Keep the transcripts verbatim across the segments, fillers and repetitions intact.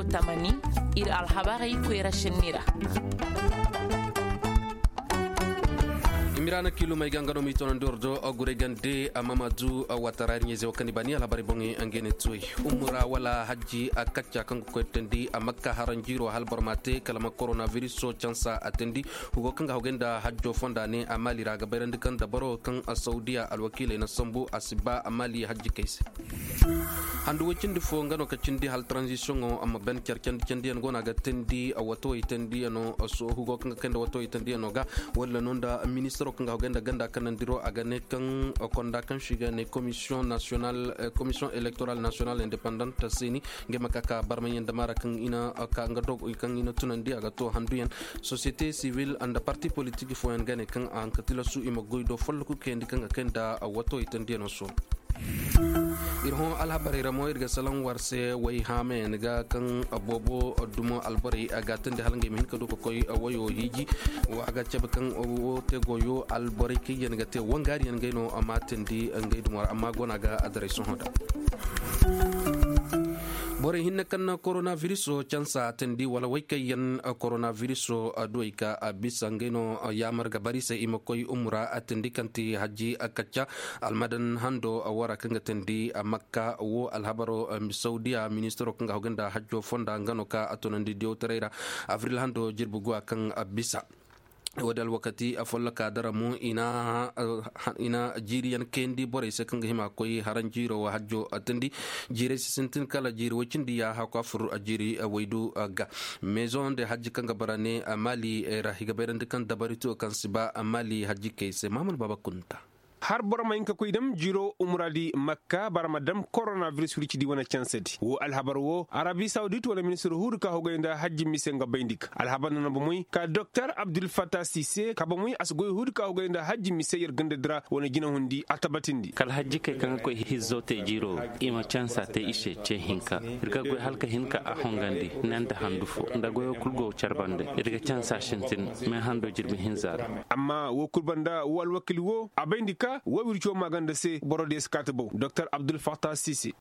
Tamani, ir alhabarey koyra sinni ra. Imiraana kiilumey ga nga no m'i tonandi war do guray gande mamadu watara ir ɲayzey wo kaŋ ni baani alhabarey boŋey nga ne tuwey. Umura wala hajji a kacca kaŋ ga koy teendi a makka haranjiiro hala boro ma te kala ma koronabiriso cansa a teendi. Hugo kaŋ ga hawgay nda hajjo fonda ne a maali ra ga bayrandi kaŋ dabaro kaŋ saudiya alwakiiley na sambu a si ba a maali hajji kay se. Handu way cindi fo nga no ka cindi hala transitiono amma ben care candi candiyaŋ go no a ga teendi watowey teendiyaŋo. Sohu go kaŋ ga kay nda watowey teendiyaŋo ga walla no nda ministaro kaŋ ga hawgay nda ganda kanandiro a ga ne kaŋ konda kaŋ se i ga ne commission national commission electoral national independent seeni. Ngey ma ka ka barmayaŋ nda maara kaŋ i na ka nga dogo kaŋ i na tunandi a ga to handuyaŋ. Société civile nda parti politique fooyaŋ ga ne kaŋ a haŋ ka tilasu i ma goy do folloku kayandi kaŋ ga kay nda watowey teendiyaŋo sohõ. Ir hõ alhabarey ra mo ir ga salaŋ war se way haamayaŋ ga kaŋ boobo dumo alborey a ga teendi hala ngey ma hin ka du ka koy wayo hiiji. Wa a ga cabe kaŋ wo te goyo alborey kaŋ yaŋ ga te wangaariyaŋ ngey no a ma teendi ngey dumo ra amma go no a ga adaray sohõ da. Borey hinne kaŋ na koronabiriso cansa teendi wala way kaŋ yaŋ koronabiriso duwey ka a bisa ngey no yaamar ga bari se i ma koy umura a teendi kaŋ ti hajji kacca. Almadan hando wara kaŋ ga teendi makka wo alhabaro saudiya ministaro kaŋ ga hawgay nda hajjo fonda nga no ka a tunandi diyawtaray ra. Abril hando jirbi guwa kaŋ a bisa. Wo-din alwakati afolloka dara mo i na jiiriyaŋ kayandi borey se kaŋ ga hima koy haranjiiro wo hajjo teendi. Jiirey si sintin kala jiiri way cindi yaaha ka fur jiiri waydu ga. Meezoŋ nda hajji kaŋ ga bara ne maali ra i ga bayrandi kaŋ dabari to kaŋ si ba maali hajji kay se maamul baaba kunta. Har boro ma hin ka koy dam jiro umura di makka bara ma dam koronabiris wirci di wane canse di wo alhabar wo arabi sawdit wane ministir huudi ka hogay nda hajji mise nga bayndi ka alhabar nana bomoy ka doktor abdulfata sise ka bomoy a si goy huudi ka hogay nda hajji mise yer ganda dira wane jinahundi a tabatindi kala hajji kay kaŋ ga koy hizzo te jiro i ma cansa te i se ce hinka ir ga goy halka hinka a hongandi nanda handu fo nda goyo kul go carbande ir ga cansa sintin me hando jirbi hinza ra amma wo kul banda wo alwakil wo a bayndi ka wo wirco maganda se boro de si kaati bow doktor abdul fatah sise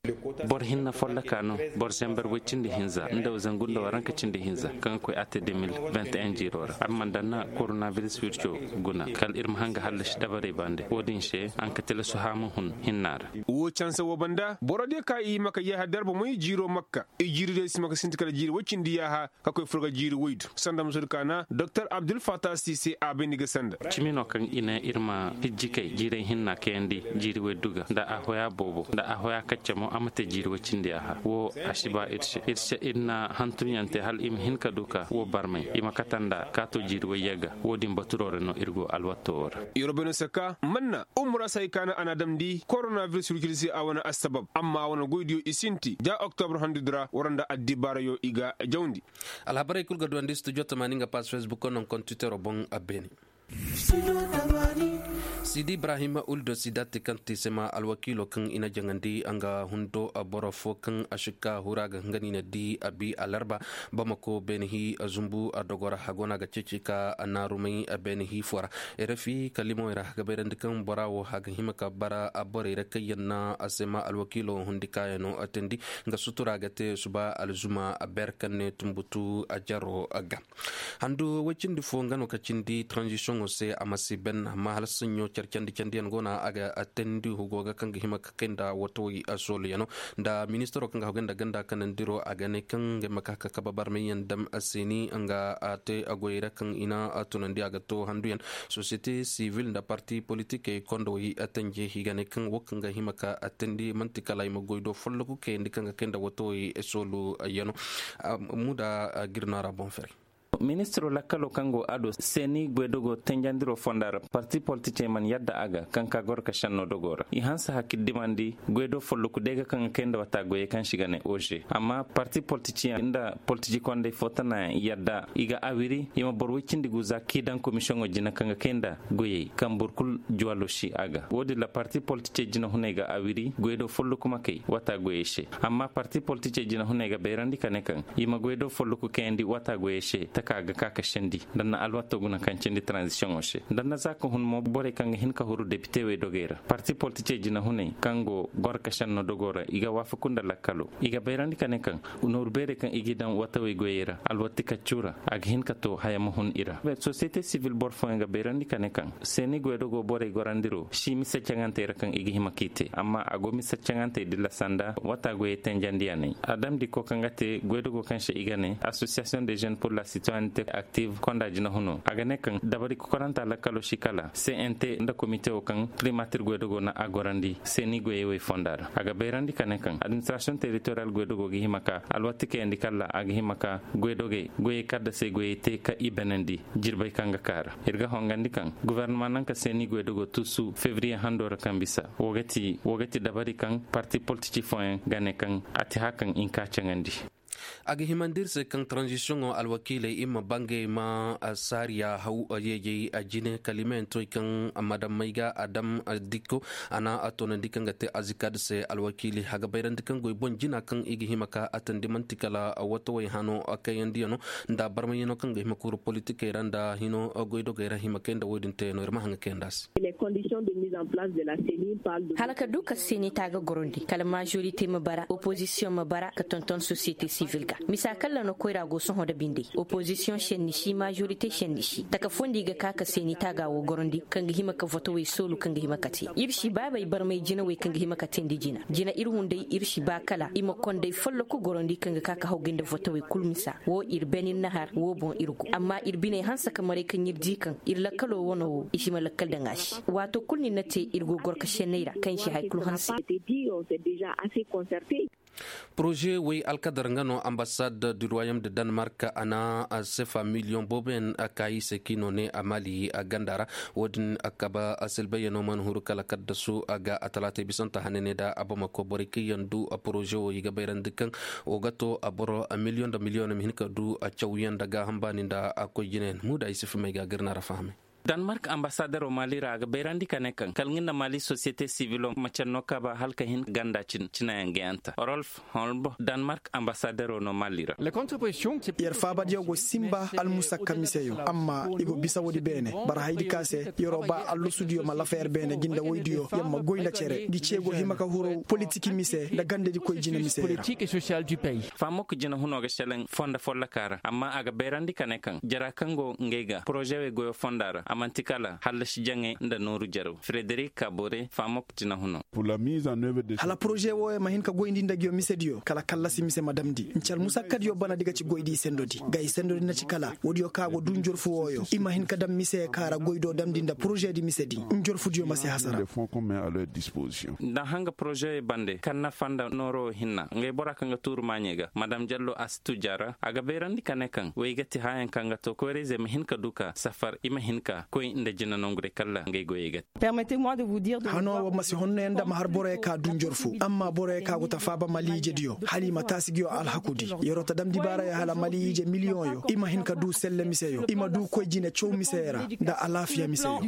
boro hinna folloka no boro zember way cindi hinza nda zangu nda waranka cindi hinza kaŋ ga koy ate deux mille vingt et un jiro ra amma nda na koronabiris wirco guna kala ir ma hanga hallasi dabarey bande wo-din se an ka tilasu haamu hun hinna ra wo canse wo banda boro de ka i maka yaaha darba moy jiro makka i jiri de si maka sinti kala jiri way cindi yaaha ka koy furga jiiri waydu sanda musul kaana doktor abdul fatah sise a bayndi ga sanda cimi no kaŋ i ne ir ma hijji kay jiiray hinna kayandi jiiri waydu ga nda a hoya boobo nda a hoya kacce mo a ma te jiiri way cindi a ha wo a si ba ir se ir se ir na hantumyaŋ te hala i ma hin ka du ka wo barmay i ma kate nda kaato jiiri wayye ga wo-din baturo ra no ir go alwatto wo ra ir wo bay no saka manna umura se hay kaana a na a damndi koronabiris wircidi se a wane assabab amma a wane goydiyo i sinti ja oktobr handudi ra war nda addibaarayo i ga jawndi alhabarey kul ga duwandi studio tamaani nga pass facebook no kontitere boŋ a beene sidi ibrahim uldo sidati kaŋ ti sema alwakiilo kaŋ i na jaŋandi nga hundo boro fo kaŋ a sikka hura ga nga ni na di a bi alarba bamako beene hi zumbu a dogo ra a go no a ga ceeci ka naarumay beene hi fo ra rfi kalimoy ra ga bayrandi kaŋ bora wo a ga hima ka bara borey ra kaŋ yaŋ na a sema alwakiilo hundi kaayaŋo teendi nga sutura ga te suba alzuma ber kaŋ ne tumbutu a jaro ga handu way cindi fo nga no ka cindi transitiono se a ma si ben amma hala saɲɲo care candi candiyaŋ go no a ga teendi hugo ga kaŋ ga hima ka kay nda watawey sooluyaŋo nda ministaro kaŋ ga hagay nda ganda kanandiro a ga ne kaŋ ga hima ka ka kaba barmayyaŋ dam a se ni nga a te a goyey ra kaŋ i na tunandi a ga to handuyaŋ sosiyete sivil nda parti politikey kondowey a tanje i ga ne kaŋ wo kaŋ ga hima ka a teendi man'ti kala i ma goy do folloku kayandi kaŋ ga kay nda watawey sooluyaŋo muda girno a ra boŋ fere ministiro lakkalo kaŋ go a do seeni goydogo tenjandiro fonda ra parti politicey mana yadda a ga kaŋ ka goro ka senno dogo ra i hanse hakkiddimandi goydo folloku day ga kaŋ ga kay nda wata goyey kaŋ si ga ne oze amma parti politicey nda politici kondey fo tanayaŋ yadda i ga awiri i ma boro woy cindi guza k'i daŋ komisiyoŋo jina kaŋ ga kay nda goyey kaŋ boro kulu juwalo si a ga wo-din ra parti politicey jinahuney ga awiri goydo folloku ma kay wata goyey se amma parti politicey jinahuney ga bayrandi ka ne kaŋ i ma goydo folloku kayandi wata goyey se taka ga ka ka sendi nda na alwato guna kaŋ cindi tranzisiyoŋo se nda na za ka hun mo borey kaŋ ga hin ka huru depite wey dogey ra parti politicey jinahuney kaŋ go goro ka senno dogo ra i ga waafaku nda lakkalo i ga bayrandi ka ne kaŋ nooru beerey kaŋ i g'i daŋ watawey goyey ra alwatti kaccu ra a ga hin ka to haya ma hun i ra. Sosiyete sivil boro fooyaŋ ga bayrandi ka ne kaŋ seeni goydogo borey gorandiro si mise caŋantey ra kaŋ i ga hima k'i te amma a go mise caŋantey dilla sanda wata goyey tenjandiyaney a damndi ko kaŋ ga te goydogo kaŋ se i ga ne association de jeunes pour la citoyenneté active konda jinahuno a ga ne kaŋ dabari kokoranta lakkalo si kala cnt nda komite wo kaŋ primatir goydogo na a gorandi seeni goyey wey fonda ra a ga bayrandi ka ne kaŋ administration territorial goydogo ga hima ka alwatti kayandi kalla a ga hima ka goydogey goyey kaddasey goyey te ka i benandi jirbey kaŋ ga kaara ir ga hongandi kaŋ guvernama naŋ ka seeni goydogo tuusu febriye hando ra kaŋ bisa wo ga ti dabari kaŋ parti politiki fooyaŋ ga ne kaŋ a ti haya kaŋ i nka caŋandi. A ga himandi ir se kaŋ taranzisiyoŋo alwakiiley ir ma bangey ma saariya haw yeejey a jine kala i ma yantoy kaŋ madamey ga a dam dikko a na a toonandi kaŋ ga te azikad se alwakiili a ga bayrandi kaŋ goy boŋ jina kaŋ i ga hima ka a tandi man'ti kala watawey hano kayandiyaŋo nda barmayaŋo kaŋ ga hima ka huru politikey ra nda hino goydogey ra hima kay nda wo-din teyaŋo ir ma haŋ ga kayandi a se. Hala ka du ka senita ga gorondi kala majorite ma bara opozisiyoŋ ma bara ka tonton sosiyete sivil ga misa kaŋ ra no koyra go sohõ nda bindey opozisiyoŋ senni si majorite senni si taka foondi ga ka ka senita ga wo gorondi kaŋ ga hima ka votowey soolu kaŋ ga hima ka te ir si baabey barmay jinawey kaŋ ga hima ka teendi jina jina ir hunday ir si ba kala i ma konday folloku gorondi kaŋ ga ka ka hawgay nda votowey kul misa wo ir ben ir nahar wo boŋ ir go amma ir biney hanse ka maray kaŋ ir di kaŋ ir lakkalo wano wo i si ma lakkal daŋ a se waato kul ni na te ir go goro ka senney ra kaŋ i si hay kul hanse. Poroze wey alkadar nga no ambasad du ruwayom de danemark a na sefa miliyoŋ booboyaŋ kaayi se kaŋ i no ne a maali ganda ra. Wo-din kaba silbayyaŋo mana huru kala kaddasu ga a talaatay bisanta hananey da a bamako borey kaŋ yaŋ du poroze wo i ga bayrandi kaŋ wo ga to boro miliyoŋ nda miliyoŋ ma hin ka du cawyaŋ nda gaaham baani nda koy jinayaŋ muuda ay si fumay ga gir na ra fahamay. Danemark ambasadero maali ra a ga bayrandi ka ne kaŋ kala nga nda maali sosiyete sivilo ma canno kaba hala ka hin ganda cinayaŋ gayanta rolf holb danemark ambasadero no maali ra. Yer faabadiyo go sinba almusakka miseyo amma i go bisa woodi beene bara haydi ka se yer'o ba allusudiyo ma lafa yer beene jinda woydiyo yer ma goy nda cere ngi ce go hima ka huru politiki mise nda gandedikoy jine mise ra. Fahamok jinahuno ga selaŋ fonda folloka ra amma a ga bayrandi ka ne kaŋ jara kaŋ go ngey ga porozewey goyo fonda ra a man'ti kala hallasi jaŋey nda nooru jarew frederik kabore fahamok jinahuno. Hala poroze wooyo ma hin ka goyndi nda nguyo misediyo kala kallasi mise ma damndi nci almusakkadiyo banadi ga ci goydi sendodi ga i sendodi na ci kala woodiyo kaŋ a go duu njorfu wooyo i ma hin ka daŋ mise ka ra goydo damndi nda porozedi misedi njorfudiyo ma si hasara. Daŋ hanga porozewey bande kaŋ nafa nda nooro hinna ngey bora kaŋ ga tuuru maaɲey ga madam jallo a si tu jaara a ga bayrandi ka ne kaŋ wey ga ti haayaŋ kaŋ ga to koyra-izey ma hin ka du ka safar i ma hin ka koy nda jina nonguday kala ngey goyey ga te. Hano wo ma si honno yaŋ nda ma har boroyaŋ ka du njorfu amma boroyaŋ ka go ta faaba mali-ijediyo hala i ma taasi nguyo alhakudi yer'o ta damndi baarayo hala mali-ije miliyoŋyo i ma hin ka du selle miseyo i ma du koy jine caw miseyo ra nda alaafiya miseyo.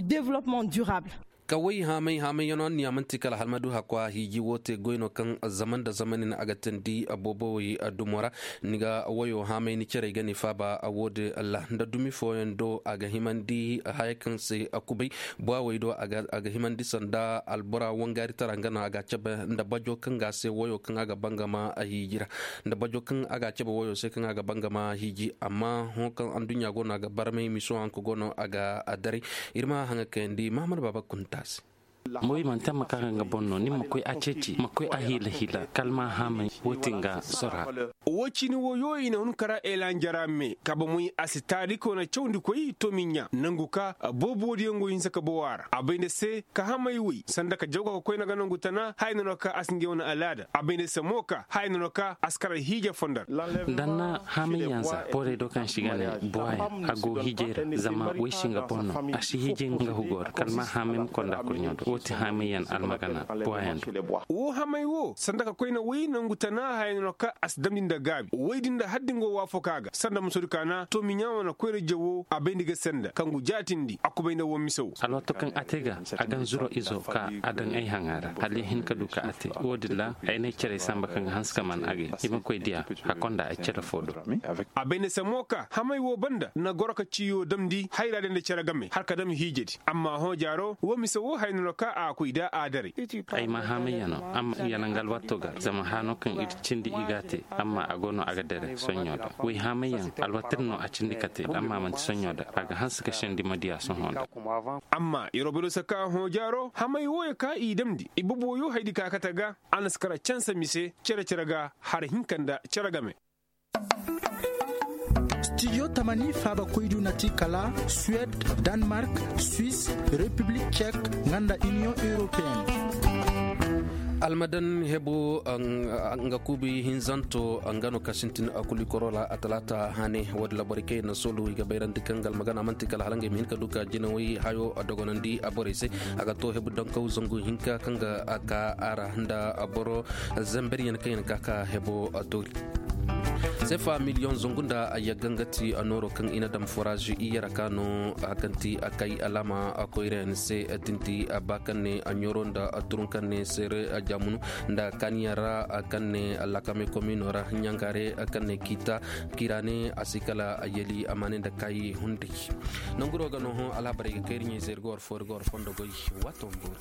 Kaway haamay haamay yaŋ no anniya man'ti kala hala ma du hakwa hiiji wo te goy no kaŋ zaman nda zamani no a ga teendi boobowey dumo ra. Ni ga wayo haamay ni cerey ga ni faaba woodin ra nda dumi fooyaŋ do a ga himandi haya kaŋ se a kubay buwawey do a ga himandi sanda albora wangaari tara nga no a ga a cabe nda bajo kaŋ ga a se wayo kaŋ a ga bangama hiiji ra nda bajo kaŋ a ga a cabe wayo se kaŋ a ga bangama hiiji amma hõ kaŋ adduɲɲa go no a ga barmay miso hanka go no a ga a daray. Ir ma haŋa kayandi mahamad baaba kunta se. Moy manti a ma ka ga nga boŋ no ni ma koy a ceeci ma koy a hiila hiila kala ma haamay. Wo ti nga sora. Wo cini woyo i na hun kara elanjara me kaba moy a si taariko na cawndi koy tomiɲa nangu ka boobo diyaŋ go hinse ka bowa ra a bay nda se ka hamay woy sanda ka jawga ka koy na ga nangu tana haya na no ka a si nga wane alaada a bay nda se mo ka haya na no ka a si kara hiija fondar. Danna haamay yanza borey do kaŋ si ga ne buwayaŋ a go hiijay ra zama way si nga boŋ no a si hiijay nga hugo ra kala ma haamay ma konda kurɲo do. Wo ti hamayyan almagana boyandi. Wo hamay wo sanda ka koyne woy nangu tana haya no ka a si damndi nda gaabi woy din da haddi nga wo waafoka ga sanda musodi kaana to miɲaa wane koyra jawo a bayndi ga senda kaŋ gu jaatindi a kubay nda wo mise wo. Alwaato kaŋ a te ga a gan zuro izo ka a daŋ ay haŋa ra hala ya hin ka du ka a te. Wo-din ra ay n'ay care samba kaŋ ga hanse ka man agay i ma koy diya. Hakkonda ay care fo do. A bay nda se mo ka hamay wo banda na goro ka ciyo damndi hayra day nda care game har ka dam hiijedi amma hõ jaaro wo mise wo haya no ka a koy da a daray. Ay ma hamayyaŋo amma i yanaŋ ga alwaato ga zama haano kaŋ ir cindi i ga a te. Amma a go no a ga dere soɲɲo da way hamayyaŋ alwaatir no a cindi ka te amma manti soɲɲo da a ga hanse ka sendi ma diya sohõ da. Amma ir wo bay no se ka hõ jaaro hamay wooyo ka i damndi i boboyo haydi ka kate ga. A na si kara canse mise cere cere ga har hinka nda cere game. Studio tamani faaba koydu na ti kala suwed, danmark, suis, repiblik cek nga nda iniyoŋ europeen. Almadan hebu nga kuubi hinzanto nga no ka sintin a kuli korola a talaata hane. Woodin ra borey kaŋ yaŋ na soolu i ga bayrandi kaŋ ga almagana man'ti kala hala nga i ma hin ka du ka jinawey hayo dogonandi borey se. A ga to hebu dankaw zangu hinka kaŋ ga ka a ra nda boro zamberyaŋ kaŋ yaŋ ka ka hebo toori. Sefa miliyoŋ zangu nda yagga nga ti nooro kaŋ i na daŋ foraaz iyara ka no a kaŋ ti a kay alaama koyrayaŋ se. Tinti ba kaŋ ne a ɲoro nda turun kaŋ ne seere jaamunu nda kaaniyaŋ ra kaŋ ne lakame komino ra ɲaŋaare kaŋ ne kiita kira ne a si kala yali a ma ne nda kaayi hunday. Nanguro ga no hõ alhabarey ga kay ir ɲey se ir ga war fo ir ga war fondo goy. Waato ma boori.